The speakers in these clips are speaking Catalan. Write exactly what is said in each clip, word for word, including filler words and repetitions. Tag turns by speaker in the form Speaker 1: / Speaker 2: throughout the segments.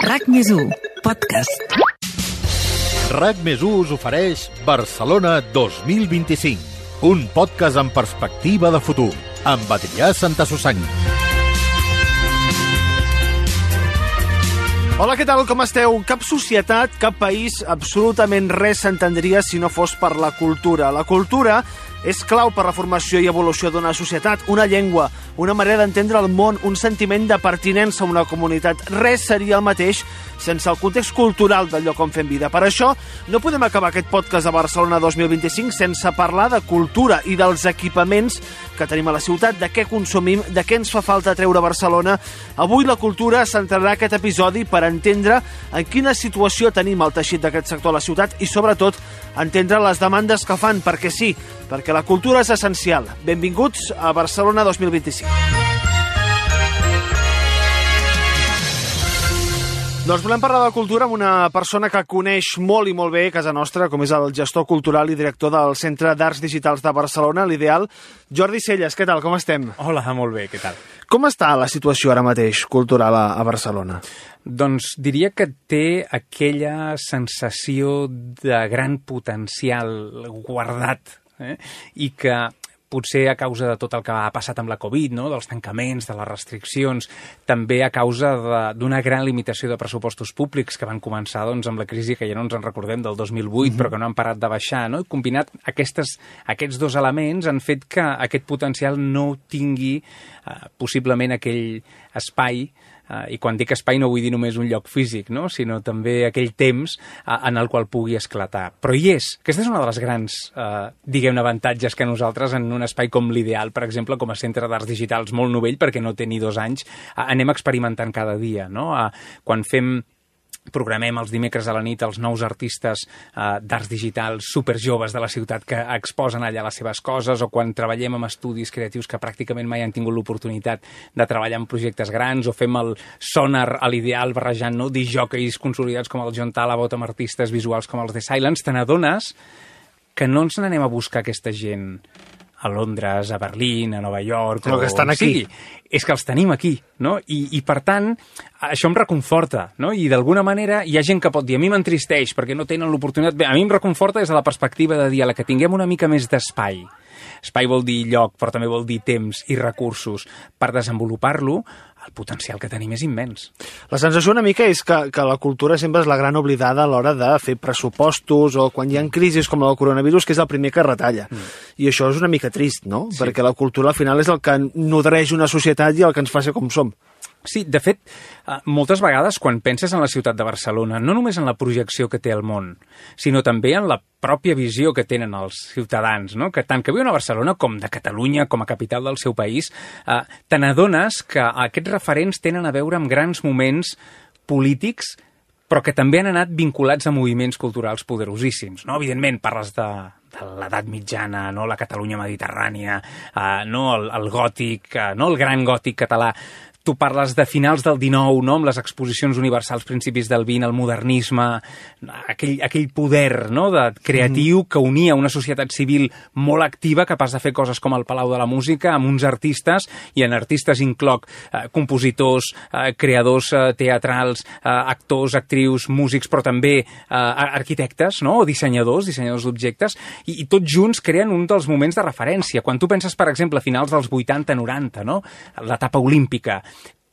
Speaker 1: RAC més u, podcast.
Speaker 2: RAC més u us ofereix Barcelona dos mil vint-i-cinc, un podcast amb perspectiva de futur, amb Adrià Santasusagna.
Speaker 3: Hola, què tal? Com esteu? Cap societat, cap país, absolutament res s'entendria si no fos per la cultura. La cultura és clau per la formació i evolució d'una societat, una llengua, una manera d'entendre el món, un sentiment de pertinença a una comunitat. Res seria el mateix sense el context cultural del lloc on fem vida. Per això, no podem acabar aquest podcast de Barcelona dos mil vint-i-cinc sense parlar de cultura i dels equipaments que tenim a la ciutat, de què consumim, de què ens fa falta treure a Barcelona. Avui la cultura centrarà aquest episodi per entendre en quina situació tenim el teixit d'aquest sector a la ciutat i, sobretot, entendre les demandes que fan, perquè sí, perquè la cultura és essencial. Benvinguts a Barcelona dos mil vint-i-cinc. Doncs volem parlar de cultura amb una persona que coneix molt i molt bé a casa nostra, com és el gestor cultural i director del Centre d'Arts Digitals de Barcelona, l'Ideal, Jordi Celles. Què tal, com estem?
Speaker 4: Hola, molt bé, què tal?
Speaker 3: Com està la situació ara mateix cultural a, a Barcelona?
Speaker 4: Doncs diria que té aquella sensació de gran potencial guardat, eh? I que potser a causa de tot el que ha passat amb la Covid, no? Dels tancaments, de les restriccions, també a causa d'una gran limitació de pressupostos públics que van començar doncs, amb la crisi que ja no ens en recordem del dos mil vuit, mm-hmm. però que no han parat de baixar, no? I combinat aquestes, aquests dos elements han fet que aquest potencial no tingui eh, possiblement aquell espai. Uh, I quan dic espai no vull dir només un lloc físic, no? Sinó també aquell temps uh, en el qual pugui esclatar. Però hi és. Aquesta és una de les grans, uh, diguem-ne, avantatges que nosaltres en un espai com l'Ideal, per exemple, com a centre d'arts digitals molt novell, perquè no té ni dos anys, uh, anem experimentant cada dia, no? Uh, quan fem... Programem els dimecres a la nit els nous artistes eh, d'arts digitals superjoves de la ciutat que exposen allà les seves coses, o quan treballem amb estudis creatius que pràcticament mai han tingut l'oportunitat de treballar en projectes grans, o fem el sonar a l'Ideal barrejant, no? disjòqueis consolidats com el John Talabot amb artistes visuals com els The Silence, te n'adones que no ens n'anem a buscar aquesta gent a Londres, a Berlín, a Nova York...
Speaker 3: No, que estan aquí.
Speaker 4: Sí, és que els tenim aquí, no? I, i per tant, això em reconforta, no? I d'alguna manera hi ha gent que pot dir, a mi m'entristeix perquè no tenen l'oportunitat... Bé, a mi em reconforta des de la perspectiva de dir, a la que tinguem una mica més d'espai. Espai vol dir lloc, però també vol dir temps i recursos per desenvolupar-lo. El potencial que tenim és immens.
Speaker 3: La sensació una mica és que, que la cultura sempre és la gran oblidada a l'hora de fer pressupostos o quan hi ha crisis com la del coronavirus, que és el primer que retalla. Mm. I això és una mica trist, no? Sí. Perquè la cultura al final és el que nodreix una societat i el que ens fa ser com som.
Speaker 4: Sí, de fet, moltes vegades quan penses en la ciutat de Barcelona, no només en la projecció que té el món, sinó també en la pròpia visió que tenen els ciutadans, no? Que tant que viuen a Barcelona com de Catalunya, com a capital del seu país, eh, te n'adones que aquests referents tenen a veure amb grans moments polítics, però que també han anat vinculats a moviments culturals poderosíssims, no? Evidentment, parles de... de l'edat mitjana, no? La Catalunya mediterrània, eh, no? el, el gòtic, eh, no? El gran gòtic català. Tu parles de finals del dinou, no? Amb les exposicions universals, principis del vint, el modernisme, aquell, aquell poder, no? de creatiu mm. que unia una societat civil molt activa, capaç de fer coses com el Palau de la Música, amb uns artistes, i en artistes incloc eh, compositors, eh, creadors eh, teatrals, eh, actors, actrius, músics, però també eh, arquitectes, no? O dissenyadors, dissenyadors d'objectes, i, i tots junts creen un dels moments de referència. Quan tu penses, per exemple, a finals dels vuitanta noranta, no? L'etapa olímpica,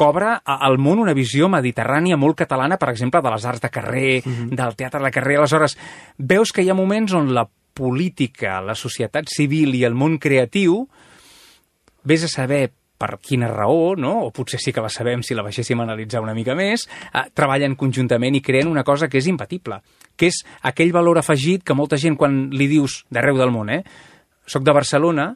Speaker 4: cobra al món una visió mediterrània molt catalana, per exemple, de les arts de carrer, mm-hmm. del teatre de carrer. Aleshores, veus que hi ha moments on la política, la societat civil i el món creatiu, vés a saber per quina raó, no? O potser sí que la sabem si la baixéssim a analitzar una mica més, eh, treballen conjuntament i creen una cosa que és imbatible, que és aquell valor afegit que molta gent, quan li dius d'arreu del món, eh, soc de Barcelona,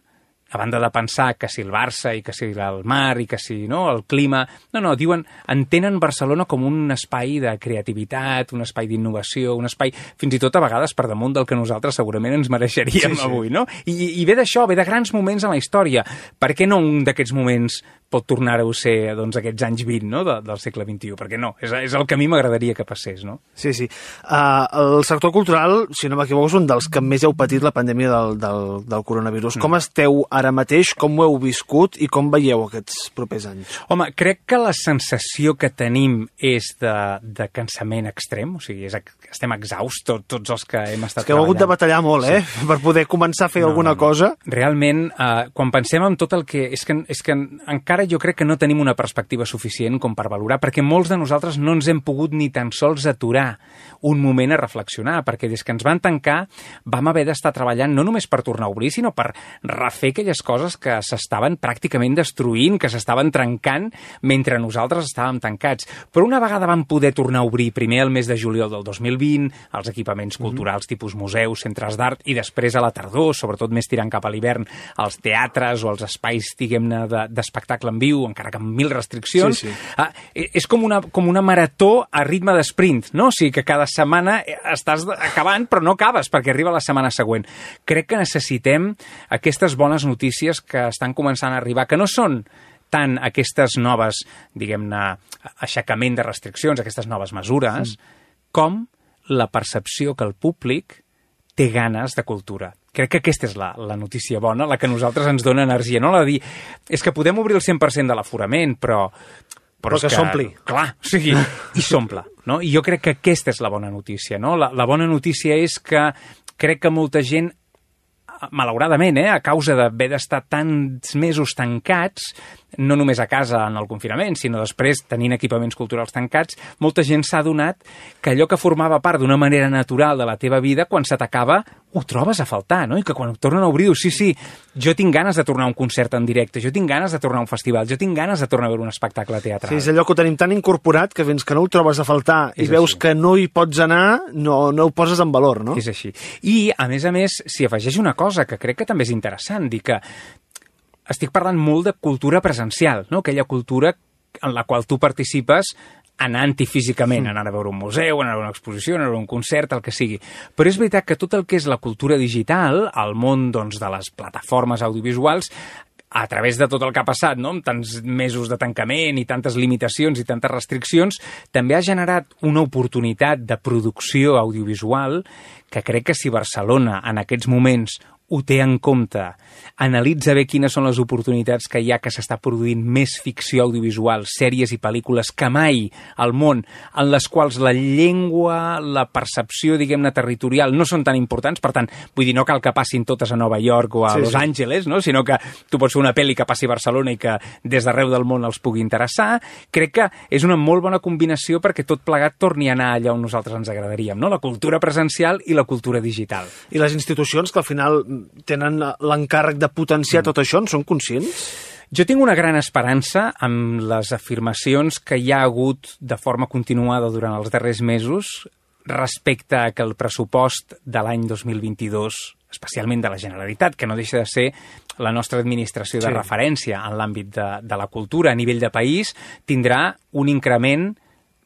Speaker 4: a banda de pensar que si el Barça i que si el mar i que si no, el clima... No, no, diuen, entenen Barcelona com un espai de creativitat, un espai d'innovació, un espai fins i tot a vegades per damunt del que nosaltres segurament ens mereixeríem sí, sí. avui, no? I, i ve d'això, ve de grans moments en la història. Per què no un d'aquests moments pot tornar-ho a ser doncs, aquests anys vint, no? de, del segle vint-i-u, perquè no, és, és el que a mi m'agradaria que passés, no?
Speaker 3: Sí, sí. Uh, el sector cultural, si no m'equivoco, és un dels que més heu patit la pandèmia del, del, del coronavirus. Mm. Com esteu ara mateix, com ho heu viscut i com veieu aquests propers anys?
Speaker 4: Home, crec que la sensació que tenim és de, de cansament extrem, o sigui, és, estem exhausts tot, tots els que hem estat
Speaker 3: és que heu hagut de batallar molt, eh? Sí. Per poder començar a fer no, alguna no, no. cosa.
Speaker 4: Realment, eh, quan pensem en tot el que... És que, és que encara jo crec que no tenim una perspectiva suficient com per valorar, perquè molts de nosaltres no ens hem pogut ni tan sols aturar un moment a reflexionar, perquè des que ens van tancar vam haver d'estar treballant no només per tornar a obrir, sinó per refer aquelles coses que s'estaven pràcticament destruint, que s'estaven trencant mentre nosaltres estàvem tancats. Però una vegada vam poder tornar a obrir, primer el mes de juliol del dos mil vint, els equipaments culturals mm-hmm. tipus museus, centres d'art, i després a la tardor, sobretot més tirant cap a l'hivern, els teatres o els espais, diguem-ne, d'espectacle en viu, encara que amb mil restriccions. Sí, sí. Ah, és com una, com una marató a ritme d'esprint, no? O sigui que cada setmana estàs acabant, però no acabes, perquè arriba la setmana següent. Crec que necessitem aquestes bones notícies que estan començant a arribar, que no són tant aquestes noves, diguem-ne, aixecament de restriccions, aquestes noves mesures, mm. com la percepció que el públic té ganes de cultura. Crec que aquesta és la, la notícia bona, la que a nosaltres ens dona energia. No la de dir, és que podem obrir el cent per cent de l'aforament, però...
Speaker 3: Però, però que, que s'ompli.
Speaker 4: Clar, o sigui, i s'omple. No? I jo crec que aquesta és la bona notícia. No? La, la bona notícia és que crec que molta gent, malauradament, eh, a causa d'haver d'estar tants mesos tancats, no només a casa en el confinament, sinó després tenint equipaments culturals tancats, molta gent s'ha adonat que allò que formava part d'una manera natural de la teva vida, quan se t'acaba, ho trobes a faltar, no? I que quan ho tornen a obrir, dius, sí, sí, jo tinc ganes de tornar a un concert en directe, jo tinc ganes de tornar a un festival, jo tinc ganes de tornar a veure un espectacle teatral.
Speaker 3: Sí, és allò que ho tenim tan incorporat que fins que no ho trobes a faltar i és veus així. Que no hi pots anar, no, no ho poses en valor, no?
Speaker 4: És així. I, a més a més, s'hi afegeix una cosa que crec que també és interessant, dir que estic parlant molt de cultura presencial, no? Aquella cultura en la qual tu participes anant-hi físicament, anar a veure un museu, anar a veure una exposició, anar a veure un concert, el que sigui. Però és veritat que tot el que és la cultura digital, el món doncs, de les plataformes audiovisuals, a través de tot el que ha passat, no? Amb tants mesos de tancament i tantes limitacions i tantes restriccions, també ha generat una oportunitat de producció audiovisual que crec que si Barcelona en aquests moments ho té en compte, analitza bé quines són les oportunitats que hi ha, que s'està produint més ficció audiovisual, sèries i pel·lícules que mai al món, en les quals la llengua, la percepció, diguem-ne, territorial no són tan importants, per tant, vull dir, no cal que passin totes a Nova York o a sí, Los sí. Angeles, no? Sinó que tu pots fer una pel·li que passi a Barcelona i que des d'arreu del món els pugui interessar. Crec que és una molt bona combinació perquè tot plegat torni a anar allà on nosaltres ens agradaríem, no? La cultura presencial i la cultura digital.
Speaker 3: I les institucions que al final tenen l'encàrrec de potenciar mm. tot això, en són conscients?
Speaker 4: Jo tinc una gran esperança amb les afirmacions que hi ha hagut de forma continuada durant els darrers mesos respecte a que el pressupost de l'any dos mil vint-i-dos, especialment de la Generalitat, que no deixa de ser la nostra administració de sí. referència en l'àmbit de, de la cultura a nivell de país, tindrà un increment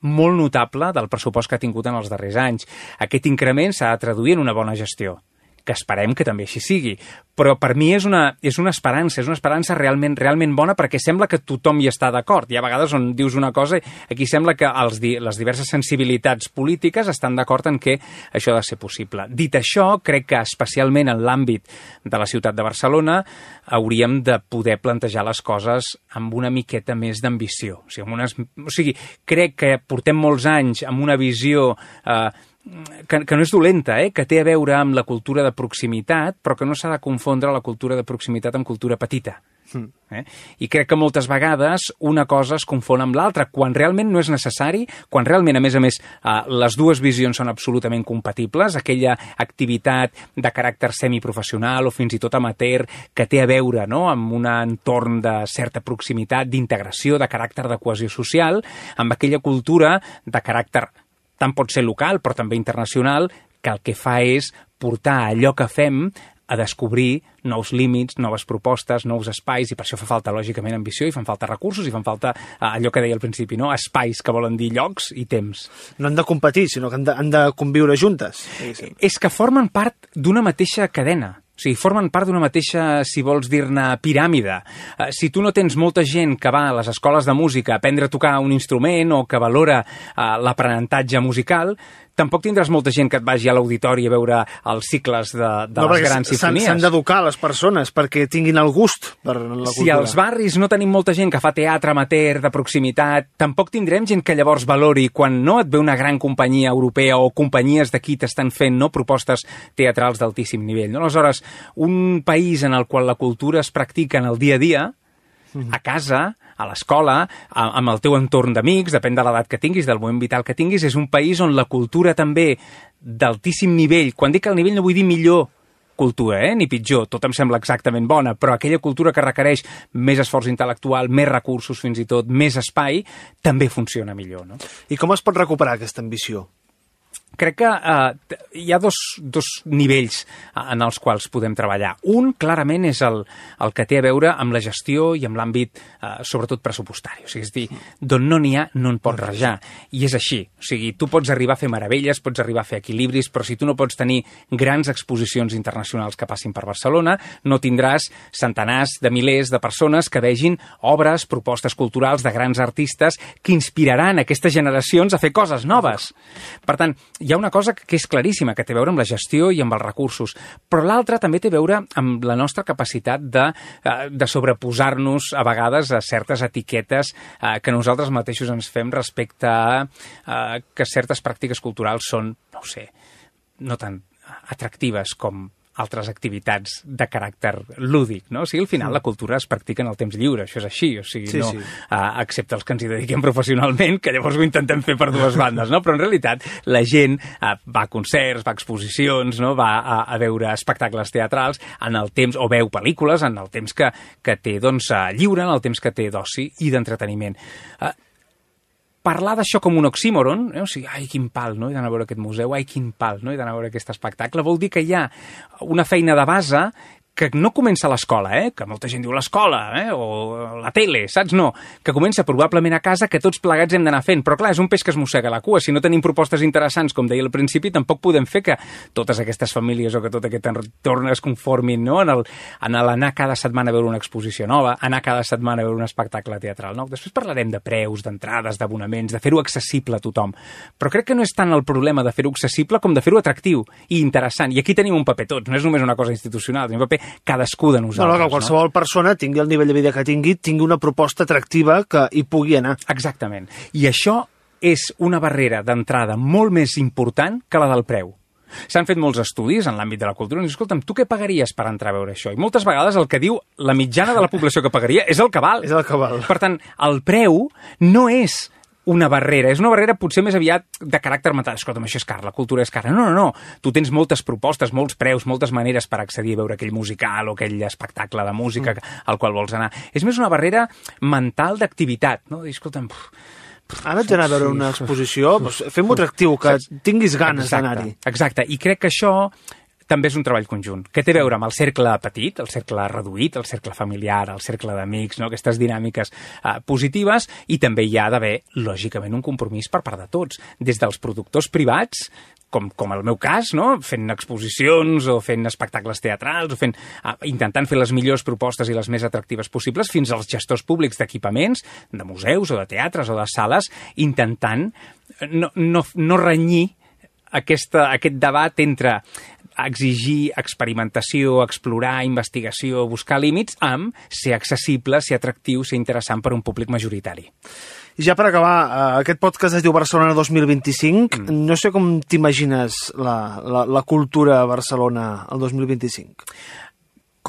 Speaker 4: molt notable del pressupost que ha tingut en els darrers anys. Aquest increment s'ha de traduir en una bona gestió, que esperem que també així sigui. Però per mi és una, és una esperança, és una esperança realment, realment bona, perquè sembla que tothom hi està d'acord. Hi ha vegades on dius una cosa, aquí sembla que els, les diverses sensibilitats polítiques estan d'acord en que això ha de ser possible. Dit això, crec que especialment en l'àmbit de la ciutat de Barcelona hauríem de poder plantejar les coses amb una miqueta més d'ambició. O sigui, amb unes, o sigui, crec que portem molts anys amb una visió eh, Que, que no és dolenta, eh? Que té a veure amb la cultura de proximitat, però que no s'ha de confondre la cultura de proximitat amb cultura petita. Mm. Eh? I crec que moltes vegades una cosa es confon amb l'altra, quan realment no és necessari, quan realment, a més a més, eh, les dues visions són absolutament compatibles, aquella activitat de caràcter semiprofessional o fins i tot amateur que té a veure, no?, amb un entorn de certa proximitat, d'integració, de caràcter de cohesió social, amb aquella cultura de caràcter tant pot ser local, però també internacional, que el que fa és portar allò que fem a descobrir nous límits, noves propostes, nous espais, i per això fa falta, lògicament, ambició, i fan falta recursos, i fan falta allò que deia al principi, no? Espais, que volen dir llocs i temps.
Speaker 3: No han de competir, sinó que han de, han de conviure juntes.
Speaker 4: És que formen part d'una mateixa cadena. O sigui, formen part d'una mateixa, si vols dir-ne, piràmide. Uh, si tu no tens molta gent que va a les escoles de música a aprendre a tocar un instrument o que valora uh, l'aprenentatge musical, tampoc tindràs molta gent que et vagi a l'auditori a veure els cicles de, de
Speaker 3: no,
Speaker 4: les grans simfonies.
Speaker 3: S'han d'educar les persones perquè tinguin el gust per la cultura.
Speaker 4: Si als barris no tenim molta gent que fa teatre amateur de proximitat, tampoc tindrem gent que llavors valori quan no et ve una gran companyia europea o companyies d'aquí t'estan fent no, propostes teatrals d'altíssim nivell. No? Aleshores, un país en el qual la cultura es practica en el dia a dia, a casa, a l'escola, amb el teu entorn d'amics, depèn de l'edat que tinguis, del moment vital que tinguis, és un país on la cultura també d'altíssim nivell, quan dic el nivell no vull dir millor cultura, eh? ni pitjor, tot em sembla exactament bona, però aquella cultura que requereix més esforç intel·lectual, més recursos fins i tot, més espai, també funciona millor. No?
Speaker 3: I com es pot recuperar aquesta ambició?
Speaker 4: Crec que eh, hi ha dos, dos nivells en els quals podem treballar. Un, clarament, és el, el que té a veure amb la gestió i amb l'àmbit, eh, sobretot, pressupostari. O sigui, és dir, d'on no n'hi ha, no en pots rajar. I és així. O sigui, tu pots arribar a fer meravelles, pots arribar a fer equilibris, però si tu no pots tenir grans exposicions internacionals que passin per Barcelona, no tindràs centenars de milers de persones que vegin obres, propostes culturals de grans artistes que inspiraran aquestes generacions a fer coses noves. Per tant, hi ha una cosa que és claríssima, que té a veure amb la gestió i amb els recursos, però l'altra també té a veure amb la nostra capacitat de, de sobreposar-nos a vegades a certes etiquetes eh, que nosaltres mateixos ens fem respecte a eh, que certes pràctiques culturals són, no ho sé, no tan atractives com altres activitats de caràcter lúdic, no? O sigui, al final la cultura es practica en el temps lliure, això és així, o sigui,
Speaker 3: sí,
Speaker 4: no,
Speaker 3: sí.
Speaker 4: Uh, excepte els que ens hi dediquem professionalment, que llavors ho intentem fer per dues bandes, no? Però en realitat la gent uh, va a concerts, va a exposicions, no? Va a, a veure espectacles teatrals en el temps, o veu pel·lícules en el temps que, que té, doncs, uh, lliure, en el temps que té d'oci i d'entreteniment. Uh, Parlar d'això com un oxímoron, eh? O sigui, ai, quin pal, no? He d'anar a veure aquest museu, ai, quin pal, no? He d'anar a veure aquest espectacle, vol dir que hi ha una feina de base que no comença a l'escola, eh? Que molta gent diu l'escola, eh? O la tele, saps? No, que comença probablement a casa, que tots plegats hem d'anar fent. Però clar, és un peix que es mossega la cua. Si no tenim propostes interessants, com deia al principi, tampoc podem fer que totes aquestes famílies o que tot aquest entorn es conformin, no? En el, en l'anar cada setmana a veure una exposició nova, anar cada setmana a veure un espectacle teatral nou. Després parlarem de preus, d'entrades, d'abonaments, de fer-ho accessible a tothom. Però crec que no és tant el problema de fer-ho accessible com de fer-ho atractiu i interessant. I aquí tenim un paper tots, no és només una cosa institucional, tenim un paper cadascú de nosaltres.
Speaker 3: No, no, que qualsevol no? persona tingui el nivell de vida que tingui, tingui una proposta atractiva que hi pugui anar.
Speaker 4: Exactament. I això és una barrera d'entrada molt més important que la del preu. S'han fet molts estudis en l'àmbit de la cultura i dius, escolta'm, tu què pagaries per entrar a veure això? I moltes vegades el que diu la mitjana de la població que pagaria és el que val.
Speaker 3: És el que val.
Speaker 4: Per tant, el preu no és una barrera, és una barrera potser més aviat de caràcter mental. Escolta'm, això és car, la cultura és cara. No, no, no. Tu tens moltes propostes, molts preus, moltes maneres per accedir a veure aquell musical o aquell espectacle de música mm. al qual vols anar. És més una barrera mental d'activitat, no? I, escolta'm, pff,
Speaker 3: ara ets d'anar a veure una exposició, doncs fem-ho atractiu, que tinguis ganes d'anar-hi.
Speaker 4: Exacte, i crec que això també és un treball conjunt, que té a veure amb el cercle petit, el cercle reduït, el cercle familiar, el cercle d'amics, no? Aquestes dinàmiques eh, positives, i també hi ha d'haver, lògicament, un compromís per part de tots, des dels productors privats, com, com el meu cas, no? Fent exposicions o fent espectacles teatrals, o fent, uh, intentant fer les millors propostes i les més atractives possibles, fins als gestors públics d'equipaments, de museus o de teatres o de sales, intentant no, no, no renyir aquesta, aquest debat entre exigir experimentació, explorar, investigació, buscar límits, amb ser accessible, ser atractiu, ser interessant per a un públic majoritari.
Speaker 3: I ja per acabar, aquest podcast es diu Barcelona dos mil vint-i-cinc. Mm. No sé com t'imagines la, la, la cultura a Barcelona el dos mil vint-i-cinc.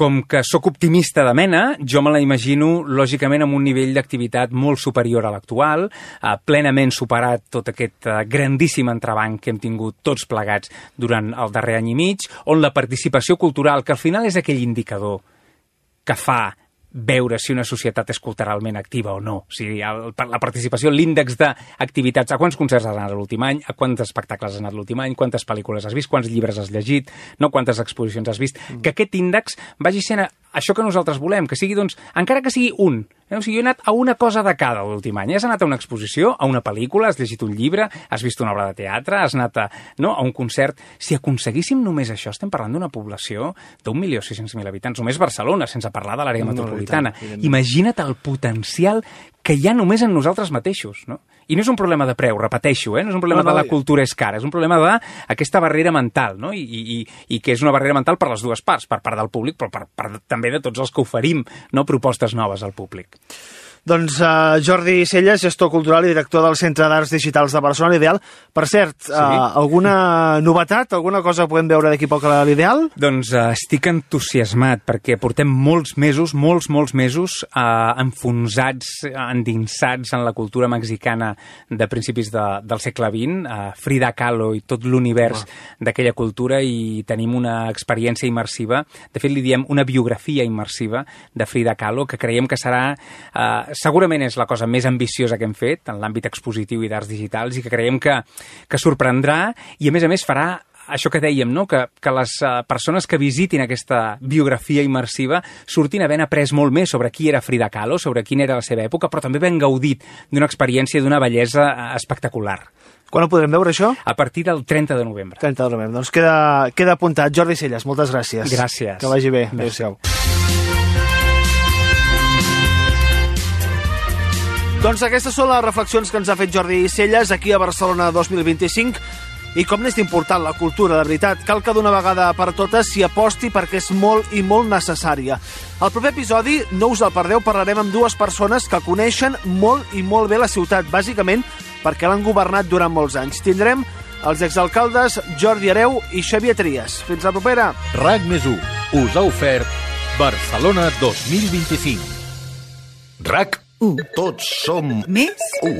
Speaker 4: Com que sóc optimista de mena, jo me la imagino, lògicament, amb un nivell d'activitat molt superior a l'actual, eh, plenament superat tot aquest eh, grandíssim entrebanc que hem tingut tots plegats durant el darrer any i mig, on la participació cultural, que al final és aquell indicador que fa veure si una societat és culturalment activa o no. O sigui, el, la participació, l'índex d'activitats, a quants concerts has anat l'últim any, a quants espectacles has anat l'últim any, quantes pel·lícules has vist, quants llibres has llegit, no quantes exposicions has vist, mm. que aquest índex vagi sent a, això que nosaltres volem, que sigui, doncs, encara que sigui un, Eh? O sigui, jo he anat a una cosa de cada l'últim any. Has anat a una exposició, a una pel·lícula, has llegit un llibre, has vist una obra de teatre, has anat a, no, a un concert. Si aconseguíssim només això, estem parlant d'una població d'un milió sis-cents mil habitants, només Barcelona, sense parlar de l'àrea metropolitana. Imagina't el potencial que hi ha només en nosaltres mateixos, no? I no és un problema de preu, repeteixo, eh? No és un problema no, no, de la cultura és cara, és un problema d'aquesta barrera mental, no? I, i, i que és una barrera mental per les dues parts, per part del públic, però per part també de tots els que oferim, no, propostes noves al públic.
Speaker 3: Doncs uh, Jordi Celles, gestor cultural i director del Centre d'Arts Digitals de Barcelona, l'Ideal. Per cert, sí? uh, alguna novetat, alguna cosa podem veure d'aquí poc a l'Ideal?
Speaker 4: Doncs uh, estic entusiasmat, perquè portem molts mesos, molts, molts mesos uh, enfonsats, endinsats en la cultura mexicana de principis de, del segle vint, uh, Frida Kahlo i tot l'univers oh. d'aquella cultura, i tenim una experiència immersiva, de fet li diem una biografia immersiva de Frida Kahlo, que creiem que serà... Uh, segurament és la cosa més ambiciosa que hem fet en l'àmbit expositiu i d'arts digitals, i que creiem que, que sorprendrà, i a més a més farà això que dèiem, no? que, que les uh, persones que visitin aquesta biografia immersiva surtin havent après molt més sobre qui era Frida Kahlo, sobre quina era la seva època, però també ben gaudit d'una experiència i d'una bellesa espectacular.
Speaker 3: Quan ho podrem veure, això?
Speaker 4: A partir del trenta de novembre.
Speaker 3: trenta de novembre. Doncs queda, queda apuntat. Jordi Celles, moltes gràcies.
Speaker 4: Gràcies.
Speaker 3: Que vagi bé. Adéu-siau. Doncs aquestes són les reflexions que ens ha fet Jordi Celles aquí a Barcelona dos mil vint-i-cinc. I com n'és important la cultura, de veritat. Cal que d'una vegada per totes s'hi aposti perquè és molt i molt necessària. Al proper episodi, no us el perdeu, parlarem amb dues persones que coneixen molt i molt bé la ciutat, bàsicament perquè l'han governat durant molts anys. Tindrem els exalcaldes Jordi Hereu i Xavier Trias. Fins la propera.
Speaker 2: RAC més u us ha ofert Barcelona dos mil vint-i-cinc. RAC u. Tots som
Speaker 1: més
Speaker 2: u.